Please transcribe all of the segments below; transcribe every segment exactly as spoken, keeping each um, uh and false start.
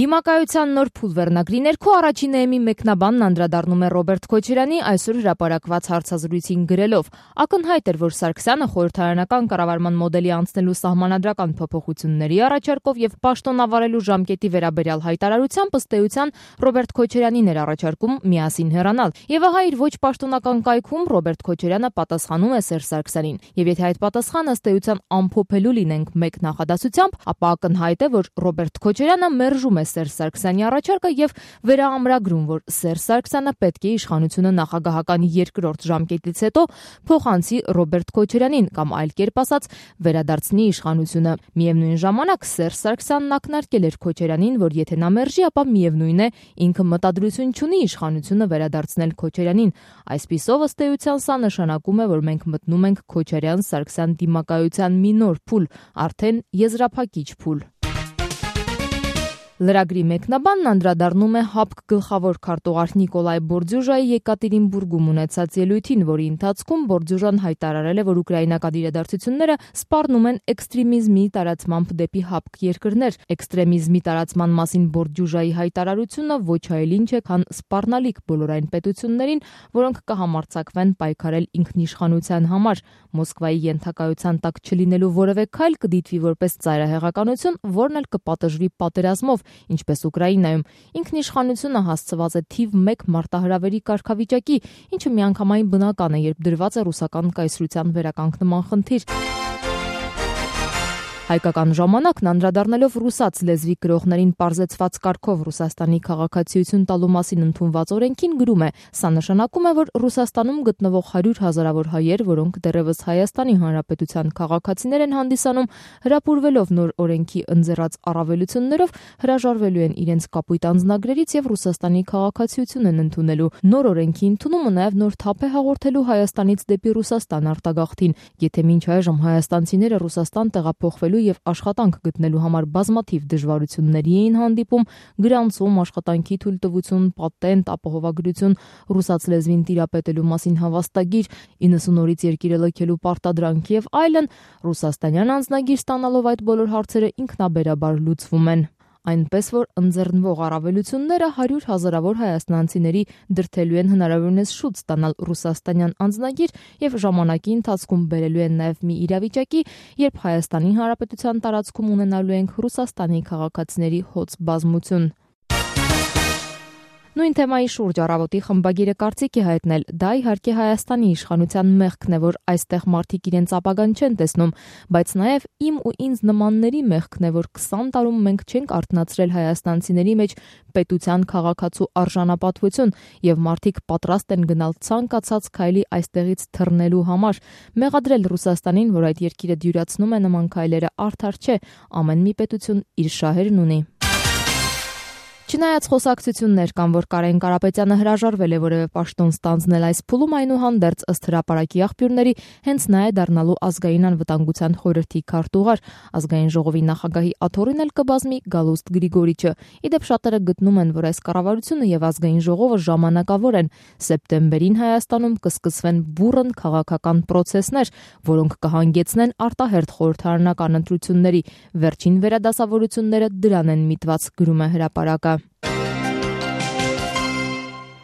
Դիմակայության նոր փուլ վերնագրի ներքո առաջին էեմի մեկնաբանն անդրադառնում է Ռոբերտ Քոչարյանի այսօր հրապարակված հարցազրույցին գրելով. ակնհայտ էր, որ Սարգսյանը խորհրդարանական կառավարման մոդելի անցնելու սահմանադրական փոփոխությունների առաջարկով եւ պաշտոնավարելու ժամկետի վերաբերյալ հայտարարությամբ ըստ էության Ռոբերտ Քոչարյանին էր առաջարկում միասին հեռանալ։ Եվ ահա իր ոչ պաշտոնական կայքում Ռոբերտ Քոչարյանը պատասխանում է Սերժ Սարգսյանին։ Եվ եթե այդ պատասխանը ըստ էության ամփոփելու լինենք մեկ նախադասությամբ, ապա ակնհայտ է, որ Ռոբերտ Քոչարյանը մերժում է Սերժ Սարգսյանի առաջարկը եւ վերաամրագրում, որ Սերժ Սարգսյանը պետք է իշխանությունը նախագահական երկրորդ ժամկետից հետո փոխանցի Ռոբերտ Քոչարյանին կամ այլ կերպ ասած վերադարձնի իշխանությունը։ Միևնույն ժամանակ Սերժ Սարգսյանն ակնարկել էր Քոչարյանին, որ եթե նա մերժի, ապա միևնույն է ինքը մտադրություն չունի իշխանությունը վերադարձնել Քոչարյանին։ Այսպիսով ըստ էության սա նշանակում է, որ մենք մտնում ենք Քոչարյան-Սարգսյան դիմակայության մի նոր փուլ, արդեն եզրափակիչ փուլ։ Լրագրի մեկնաբանն անդրադառնում է ՀԱՊԿ գլխավոր քարտուղար Նիկոլայ Բորդյուժայի Եկատերինբուրգում ունեցած ելույթին, որի ընթացքում Բորդյուժան հայտարարել է, որ ուկրաինական իրադարձությունները սպառնում են էքստրեմիզմի տարածմամբ դեպի ՀԱՊԿ երկրներ։ Էքստրեմիզմի տարածման մասին Բորդյուժայի հայտարարությունը ոչ այլ ինչ է, քան սպառնալիք բոլոր այն պետություններին, որոնք կհամարձակվեն պայքարել ինքնիշխանության համար։ Մոսկվայի ենթակայության տակ չլինելու որևէ քայլ կդիտվի որպես ծայրահեղականություն, որն էլ կպատժվի պատերազմով, ինչպես Ուկրաինայում։ Ինքնիշխանությունը հասցված է թիվ մեկ մարտահրավերի կարգավիճակի, ինչը միանգամայն բնական է, երբ դրված է ռուսական կայսրության վերականգնման խնդիր։ Հայկական ժամանակն անդրադառնալով ռուսաց լեզվի գրողներին պարզեցված կարգով Ռուսաստանի քաղաքացիություն տալու մասին ընդունված օրենքին գրում է. սա նշանակում է, որ Ռուսաստանում գտնվող հարյուր հազարավոր հայեր, որոնք դեռևս Հայաստանի Հանրապետության քաղաքացիներ են հանդիսանում, հրապուրվելով նոր օրենքի ընձեռած առավելություններով, հրաժարվելու են իրենց կապույտ անձնագրերից եւ Ռուսաստանի քաղաքացիություն են ընդունելու։ Նոր օրենքի ընդունումը նաեւ նոր թափ է հաղորդելու Հայաստանից դեպի Ռուսաստան արտագաղթին։ Եթե մինչ այժմ հայաստանցիները Ռուսաստան տեղափոխվելու եւ աշխատանք գտնելու համար բազմաթիվ դժվարությունների էին հանդիպում՝ գրանցում, աշխատանքի թույլտվություն, պատենտ, ապահովագրություն, ռուսաց լեզվին տիրապետելու մասին հավաստագիր, իննսուն օրից երկիրը լքելու պարտադրանք եւ այլն, ռուսաստանյան անձնագիր ստանալով այդ բոլոր հարցերը ինքնաբերաբար լուծվում են։ Այնպես որ ընձեռնվող առավելությունները հարյուր հազարավոր հայաստանցիների դրդելու են հնարավորինս շուտ ստանալ ռուսաստանյան անձնագիր եւ ժամանակի ընթացքում բերելու են նաեւ մի իրավիճակի, երբ Հայաստանի Հանրապետության տարածքում ունենալու ենք Ռուսաստանի քաղաքացիների հոծ բազմություն։ Նույն թեմայի շուրջ առավոտի խմբագիրը կարծիք է հայտնել, դա իհարկե Հայաստանի իշխանության մեղքն է, որ այստեղ մարդիկ իրենց ապագան չեն տեսնում, բայց նաև իմ ու ինձ նմանների մեղքն է, որ քսան տարում մենք չենք արթնացրել հայաստանցիների մեջ պետության քաղաքացու արժանապատվություն եւ մարդիկ պատրաստ են գնալ ցանկացած քայլի այստեղից թռնելու համար։ Մեղադրել Ռուսաստանին, որ այդ երկիրը դյուրացնում է նման քայլերը, արդար չէ, ամեն մի պետություն իր շահերն ունի։ Չնայած խոսակցություններ կան, որ Կարեն Կարապետյանը հրաժարվել է որևէ պաշտոն ստանձնել այս փուլում, այնուհանդերձ ըստ հրապարակի աղբյուրների հենց նա է դառնալու ազգային անվտանգության խորհրդի քարտուղար։ Ազգային ժողովի նախագահի աթոռին էլ կբազմի Գալուստ Գրիգորիչը։ Իդեպ շատերը գտնում են, որ այս կառավարությունը եւ ազգային ժողովը ժամանակավոր են։ Սեպտեմբերին Հայաստանում կսկսվեն բուռն քաղաքական պրոցեսներ, որոնք կհանգեցնեն արտահերթ խորհրդարանական ընտրությունների։ Վերջին վերադասավորությունները դրան են միտված, գրում է հրապարակը։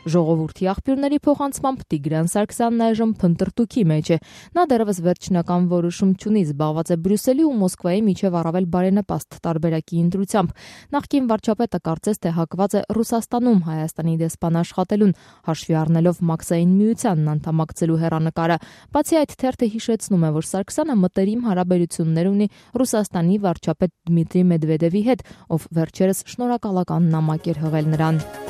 Ժողովրդի աղբյուրների փոխանցմամբ Տիգրան Սարգսյանն այժմ փնտրտուքի մեջ է։ Նա դեռևս վերջնական որոշում չունի, զբաղված է Բրյուսելի ու Մոսկվայի միջև առավել բարենպաստ տարբերակի ընտրությամբ։ Նախկին վարչապետը կարծես թե հակված է Ռուսաստանում Հայաստանի դեսպան աշխատելուն, հաշվի առնելով Մաքսային միությանն անդամակցելու հեռանկարը։ Բացի այդ, թերթը հիշեցնում է, որ Սարգսյանը մտերիմ հարաբերություններ ունի Ռուսաստանի վարչապետ Դմիտրի Մեդվեդևի հետ, ով վերջերս շնորհակալական նամակ էր հղել նրան։